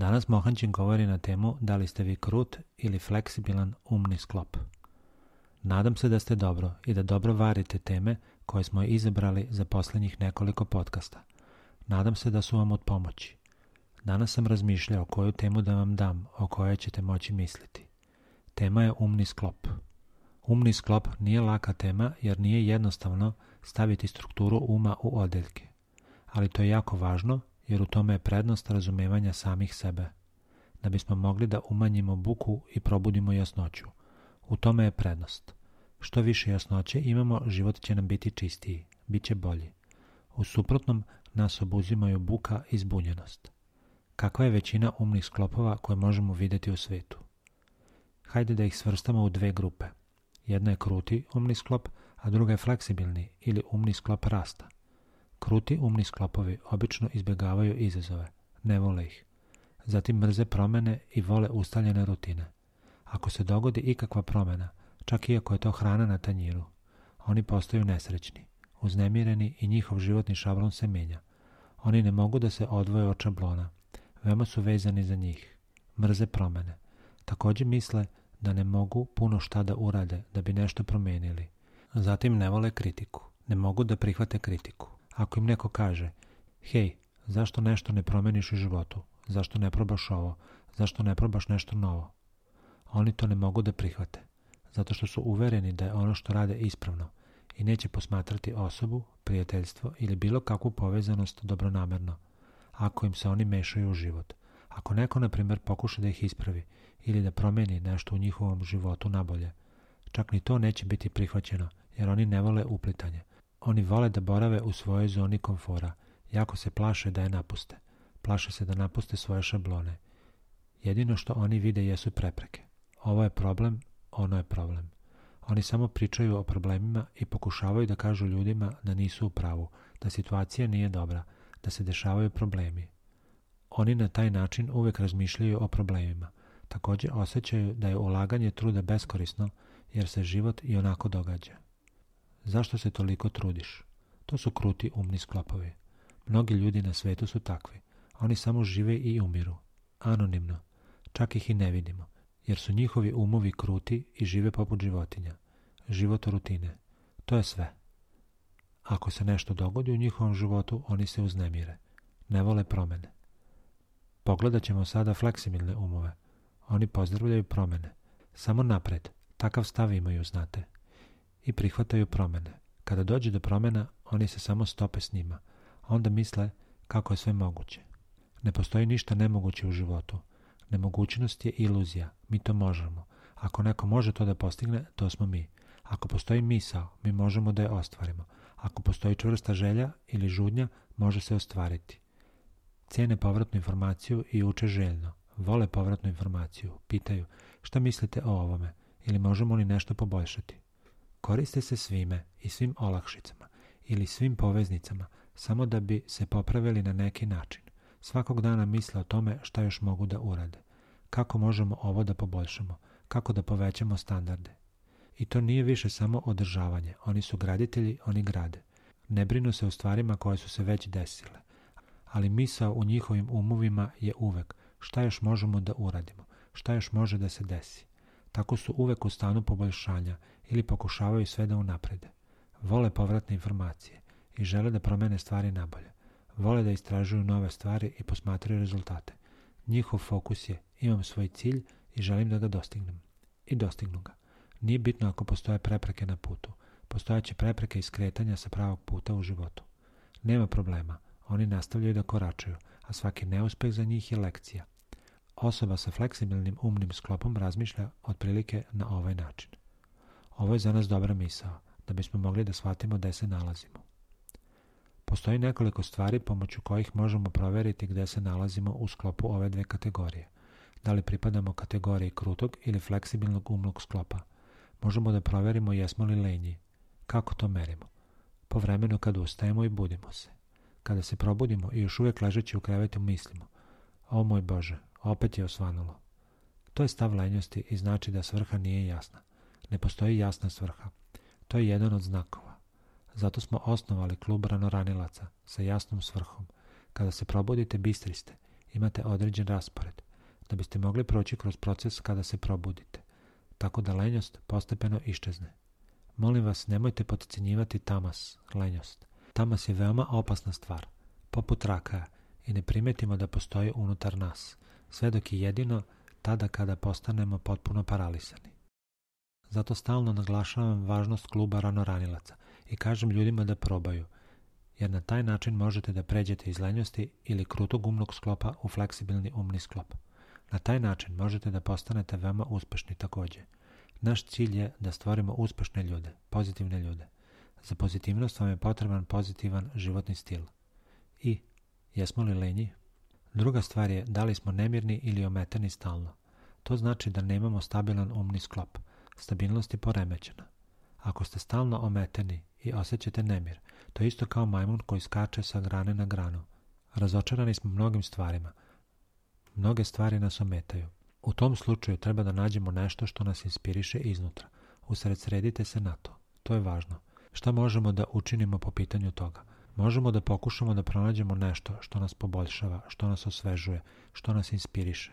Danas Mohanđin govori na temu da li ste vi krut ili fleksibilan umni sklop. Nadam se da ste dobro i da dobro varite teme koje smo izabrali za posljednjih nekoliko podcasta. Nadam se da su vam od pomoći. Danas sam razmišljao koju temu da vam dam, o kojoj ćete moći misliti. Tema je umni sklop. Umni sklop nije laka tema jer nije jednostavno staviti strukturu uma u odeljke. Ali to je jako važno jer u tome je prednost razumevanja samih sebe. Da bismo mogli da umanjimo buku i probudimo jasnoću. U tome je prednost. Što više jasnoće imamo, život će nam biti čistiji, bit će bolji. U suprotnom nas obuzimaju buka i zbunjenost. Kakva je većina umnih sklopova koje možemo vidjeti u svijetu? Hajde da ih svrstamo u dve grupe. Jedna je kruti umni sklop, a druga je fleksibilni ili umni sklop rasta. Kruti umni sklopovi obično izbjegavaju izazove, ne vole ih. Zatim mrze promjene i vole ustaljene rutine. Ako se dogodi ikakva promjena, čak i ako je to hrana na tanjiru, oni postaju nesrećni, uznemireni i njihov životni šablon se mijenja. Oni ne mogu da se odvoje od šablona, veoma su vezani za njih, mrze promjene. Također misle da ne mogu puno šta da urade da bi nešto promijenili. Zatim ne vole kritiku, ne mogu da prihvate kritiku. Ako im neko kaže, hej, zašto nešto ne promeniš u životu, zašto ne probaš ovo, zašto ne probaš nešto novo, oni to ne mogu da prihvate, zato što su uvereni da je ono što rade ispravno i neće posmatrati osobu, prijateljstvo ili bilo kakvu povezanost dobronamerno, ako im se oni mešaju u život. Ako neko, na primjer, pokuša da ih ispravi ili da promijeni nešto u njihovom životu nabolje, čak ni to neće biti prihvaćeno, jer oni ne vole uplitanje. Oni vole da borave u svojoj zoni komfora, jako se plaše da je napuste. Plaše se da napuste svoje šablone. Jedino što oni vide jesu prepreke. Ovo je problem, ono je problem. Oni samo pričaju o problemima i pokušavaju da kažu ljudima da nisu u pravu, da situacija nije dobra, da se dešavaju problemi. Oni na taj način uvijek razmišljaju o problemima. Također osjećaju da je ulaganje truda beskorisno jer se život i onako događa. Zašto se toliko trudiš? To su kruti umni sklopovi. Mnogi ljudi na svijetu su takvi. Oni samo žive i umiru. Anonimno. Čak ih i ne vidimo. Jer su njihovi umovi kruti i žive poput životinja. Život rutine. To je sve. Ako se nešto dogodi u njihovom životu, oni se uznemire. Ne vole promjene. Pogledat ćemo sada fleksibilne umove. Oni pozdravljaju promjene. Samo napred. Takav stav imaju, znate. I prihvataju promjene. Kada dođe do promjena, oni se samo stope s njima. Onda misle kako je sve moguće. Ne postoji ništa nemoguće u životu. Nemogućnost je iluzija. Mi to možemo. Ako neko može to da postigne, to smo mi. Ako postoji misao, mi možemo da je ostvarimo. Ako postoji čvrsta želja ili žudnja, može se ostvariti. Cijene povratnu informaciju i uče željno. Vole povratnu informaciju. Pitaju šta mislite o ovome ili možemo li nešto poboljšati. Koriste se svime i svim olakšicama ili svim poveznicama samo da bi se popravili na neki način. Svakog dana misle o tome šta još mogu da urade. Kako možemo ovo da poboljšamo? Kako da povećamo standarde? I to nije više samo održavanje. Oni su graditelji, oni grade. Ne brinu se o stvarima koje su se već desile. Ali misao u njihovim umovima je uvek šta još možemo da uradimo, šta još može da se desi. Tako su uvek u stanu poboljšanja ili pokušavaju sve da unaprede. Vole povratne informacije i žele da promene stvari nabolje. Vole da istražuju nove stvari i posmatraju rezultate. Njihov fokus je imam svoj cilj i želim da ga dostignem. I dostignu ga. Nije bitno ako postoje prepreke na putu. Postojaće prepreke i skretanja sa pravog puta u životu. Nema problema. Oni nastavljaju da koračaju, a svaki neuspeh za njih je lekcija. Osoba sa fleksibilnim umnim sklopom razmišlja otprilike na ovaj način. Ovo je za nas dobra misao, da bismo mogli da shvatimo gde se nalazimo. Postoji nekoliko stvari pomoću kojih možemo provjeriti gde se nalazimo u sklopu ove dve kategorije. Da li pripadamo kategoriji krutog ili fleksibilnog umnog sklopa. Možemo da provjerimo jesmo li lenji. Kako to merimo? Po vremenu kad ustajemo i budimo se. Kada se probudimo i još uvijek ležeći u krevetu mislimo, o moj Bože, opet je osvanulo. To je stav lenjosti i znači da svrha nije jasna. Ne postoji jasna svrha. To je jedan od znakova. Zato smo osnovali klub ranoranilaca sa jasnom svrhom. Kada se probudite, bistri ste Imate određen raspored, da biste mogli proći kroz proces kada se probudite, tako da lenjost postepeno iščezne. Molim vas, nemojte potcenjivati tamas, lenjost. Tamas je veoma opasna stvar, poput raka, i ne primetimo da postoji unutar nas, sve dok je jedino tada kada postanemo potpuno paralisani. Zato stalno naglašavam važnost kluba ranoranilaca i kažem ljudima da probaju, jer na taj način možete da pređete iz lenjosti ili krutog umnog sklopa u fleksibilni umni sklop. Na taj način možete da postanete veoma uspešni takođe. Naš cilj je da stvorimo uspešne ljude, pozitivne ljude. Za pozitivnost vam je potreban pozitivan životni stil. I, jesmo li lenji? Druga stvar je da li smo nemirni ili ometeni stalno. To znači da nemamo stabilan umni sklop. Stabilnost je poremećena. Ako ste stalno ometeni i osjećate nemir, to je isto kao majmun koji skače sa grane na granu. Razočarani smo mnogim stvarima. Mnoge stvari nas ometaju. U tom slučaju treba da nađemo nešto što nas inspiriše iznutra. Usredsredite se na to. To je važno. Šta možemo da učinimo po pitanju toga? Možemo da pokušamo da pronađemo nešto što nas poboljšava, što nas osvežuje, što nas inspiriše.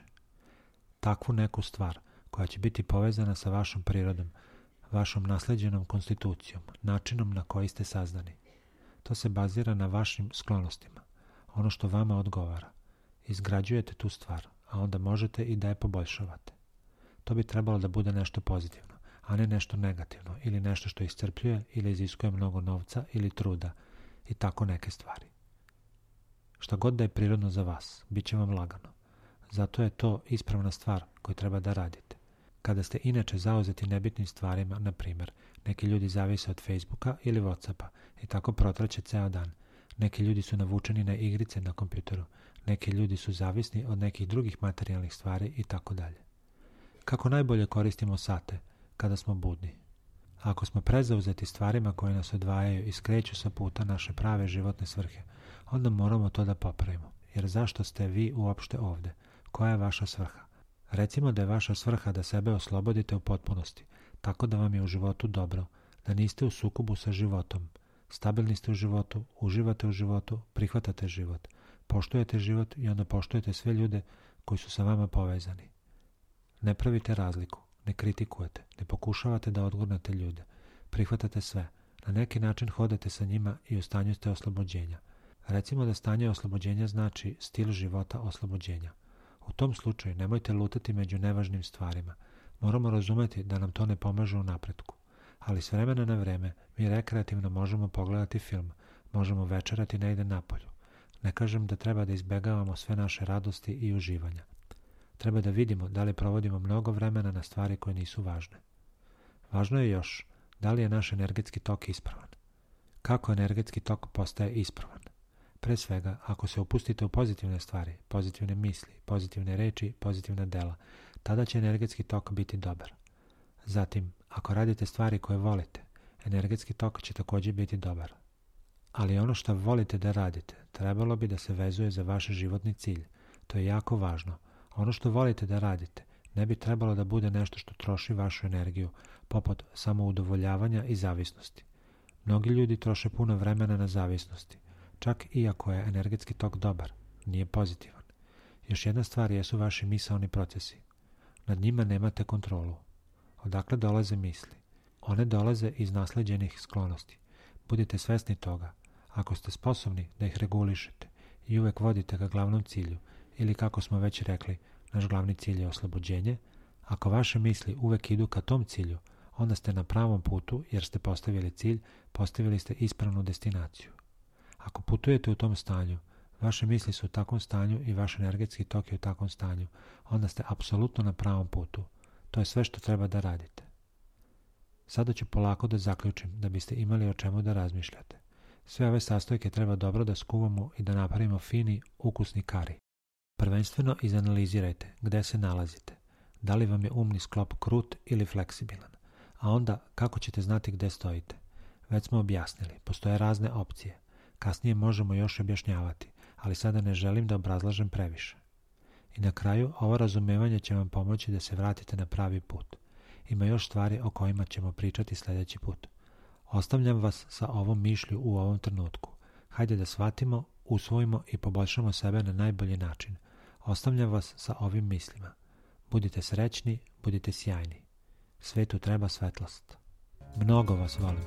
Takvu neku stvar koja će biti povezana sa vašom prirodom, vašom nasleđenom konstitucijom, načinom na koji ste sazdani. To se bazira na vašim sklonostima, ono što vama odgovara. Izgrađujete tu stvar, a onda možete i da je poboljšavate. To bi trebalo da bude nešto pozitivno, a ne nešto negativno ili nešto što iscrpljuje ili iziskuje mnogo novca ili truda i tako neke stvari. Šta god da je prirodno za vas, bit će vam lagano. Zato je to ispravna stvar koju treba da radite. Kada ste inače zauzeti nebitnim stvarima, na primjer, neki ljudi zavise od Facebooka ili Whatsappa i tako protraće ceo dan. Neki ljudi su navučeni na igrice na kompjuteru, neki ljudi su zavisni od nekih drugih materijalnih stvari i tako dalje. Kako najbolje koristimo sate kada smo budni? Ako smo prezauzeti stvarima koje nas odvajaju i skreću sa puta naše prave životne svrhe, onda moramo to da popravimo. Jer zašto ste vi uopšte ovde? Koja je vaša svrha? Recimo da je vaša svrha da sebe oslobodite u potpunosti, tako da vam je u životu dobro, da niste u sukobu sa životom, stabilni ste u životu, uživate u životu, prihvatate život, poštujete život i onda poštujete sve ljude koji su sa vama povezani. Ne pravite razliku, ne kritikujete, ne pokušavate da odgurnete ljude, prihvatate sve, na neki način hodate sa njima i u stanju ste oslobođenja. Recimo da stanje oslobođenja znači stil života oslobođenja. U tom slučaju nemojte lutati među nevažnim stvarima. Moramo razumeti da nam to ne pomaže u napretku. Ali s vremena na vreme mi rekreativno možemo pogledati film, možemo večerati negde napolju. Ne kažem da treba da izbegavamo sve naše radosti i uživanja. Treba da vidimo da li provodimo mnogo vremena na stvari koje nisu važne. Važno je još da li je naš energetski tok ispravan. Kako energetski tok postaje ispravan? Pre svega, ako se upustite u pozitivne stvari, pozitivne misli, pozitivne reči, pozitivna dela, tada će energetski tok biti dobar. Zatim, ako radite stvari koje volite, energetski tok će također biti dobar. Ali ono što volite da radite, trebalo bi da se vezuje za vaš životni cilj. To je jako važno. Ono što volite da radite, ne bi trebalo da bude nešto što troši vašu energiju, poput samoudovoljavanja i zavisnosti. Mnogi ljudi troše puno vremena na zavisnosti. Čak i ako je energetski tok dobar, nije pozitivan. Još jedna stvar jesu vaši misaoni procesi. Nad njima nemate kontrolu. Odakle dolaze misli? One dolaze iz nasleđenih sklonosti. Budite svesni toga. Ako ste sposobni da ih regulišete i uvek vodite ka glavnom cilju, ili kako smo već rekli, naš glavni cilj je oslobođenje, ako vaše misli uvek idu ka tom cilju, onda ste na pravom putu jer ste postavili cilj, postavili ste ispravnu destinaciju. Ako putujete u tom stanju, vaše misli su u takvom stanju i vaš energetski tok je u takvom stanju, onda ste apsolutno na pravom putu. To je sve što treba da radite. Sada ću polako da zaključim da biste imali o čemu da razmišljate. Sve ove sastojke treba dobro da skuvamo i da napravimo fini, ukusni kari. Prvenstveno izanalizirajte gde se nalazite. Da li vam je umni sklop krut ili fleksibilan. A onda kako ćete znati gde stojite. Već smo objasnili, postoje razne opcije. Kasnije možemo još objašnjavati, ali sada ne želim da obrazlažem previše. I na kraju, ovo razumevanje će vam pomoći da se vratite na pravi put. Ima još stvari o kojima ćemo pričati sljedeći put. Ostavljam vas sa ovom mišlju u ovom trenutku. Hajde da shvatimo, usvojimo i poboljšamo sebe na najbolji način. Ostavljam vas sa ovim mislima. Budite srećni, budite sjajni. Svetu treba svetlost. Mnogo vas volim.